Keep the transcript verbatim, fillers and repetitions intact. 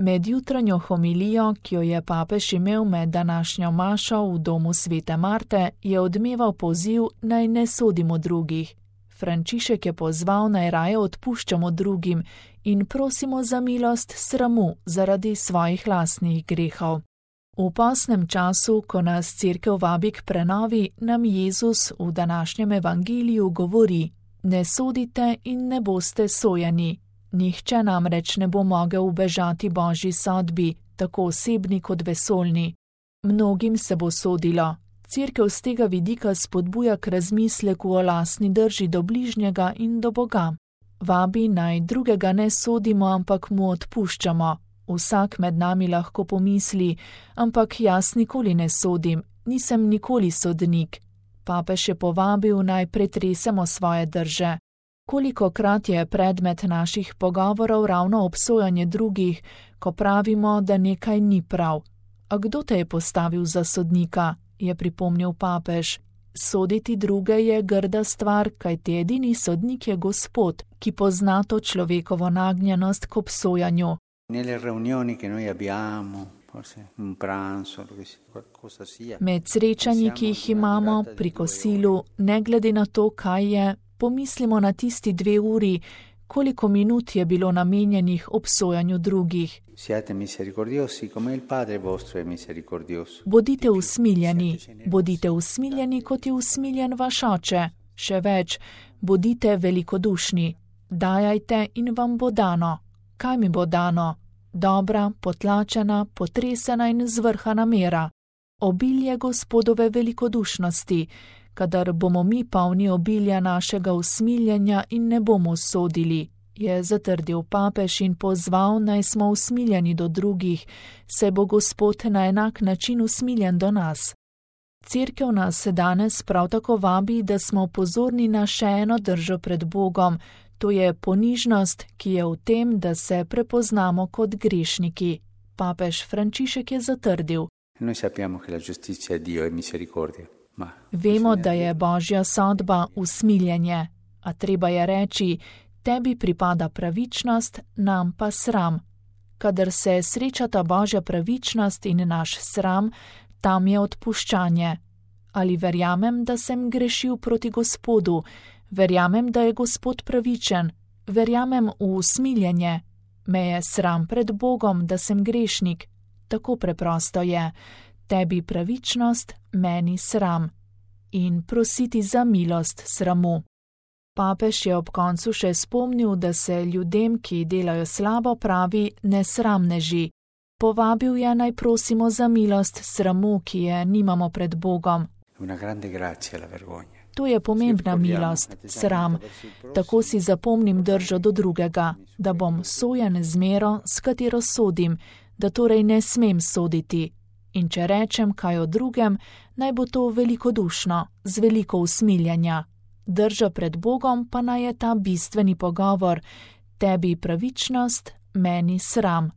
Med jutranjo homilijo, ki jo je papež imel med današnjo mašo v domu svete Marte, je odmeval poziv, naj ne sodimo drugih. Frančišek je pozval, naj raje odpuščamo drugim in prosimo za milost sramu zaradi svojih lastnih grehov. V postnem času, ko nas Cerkev vabi k prenovi, nam Jezus v današnjem evangeliju govori: ne sodite in ne boste sojeni. Nihče namreč ne bo mogel ubežati Božji sodbi, tako osebni kot vesoljni. Mnogim se bo sodilo. Cerkev z tega vidika spodbuja k razmisleku o lastni drži do bližnjega in do Boga. Vabi, naj drugega ne sodimo, ampak mu odpuščamo. Vsak med nami lahko pomisli, ampak jaz nikoli ne sodim, nisem nikoli sodnik. Papež je povabil, naj pretresemo svoje drže. Kolikokrat je predmet naših pogovorov ravno obsojanje drugih, ko pravimo, da nekaj ni prav. A kdo te je postavil za sodnika, je pripomnil papež. Soditi druge je grda stvar, kajti edini sodnik je Gospod, ki pozna to človekovo nagnjenost k obsojanju. Med srečanji, ki jih imamo pri kosilu, ne glede na to, kaj je, pomislimo na tisti dve uri, koliko minut je bilo namenjenih obsojanju drugih. Bodite usmiljeni, bodite usmiljeni, kot je usmiljen vaš oče. Še več, bodite velikodušni. Dajajte in vam bo dano. Kaj mi bo dano? Dobra, potlačena, potresena in zvrhana mera. Obilje Gospodove velikodušnosti, kadar bomo mi polni obilja našega usmiljenja in ne bomo sodili, je zatrdil papež in pozval, naj smo usmiljeni do drugih, saj bo Gospod na enak način usmiljen do nas. Cerkev nas danes prav tako vabi, da smo pozorni na še eno držo pred Bogom, to je ponižnost, ki je v tem, da se prepoznamo kot grešniki. Papež Frančišek je zatrdil: Vemo, da je Božja sodba usmiljenje, a treba je reči, tebi pripada pravičnost, nam pa sram. Kadar se srečata Božja pravičnost in naš sram, tam je odpuščanje. Ali verjamem, da sem grešil proti Gospodu, verjamem, da je Gospod pravičen, verjamem v usmiljenje, me je sram pred Bogom, da sem grešnik. Tako preprosto je. Tebi pravičnost, meni sram. In prositi za milost sramu. Papež je ob koncu še spomnil, da se ljudem, ki delajo slabo, pravi nesramneži. Povabil je, naj prosimo za milost sramu, ki je nimamo pred Bogom. To je pomembna milost, sram. Tako si zapomnim držo do drugega, da bom sojen z mero, s katero sodim, da torej ne smem soditi. In če rečem kaj o drugem, naj bo to velikodušno, z veliko usmiljenja. Drža pred Bogom pa naj je ta bistveni pogovor: tebi pravičnost, meni sram.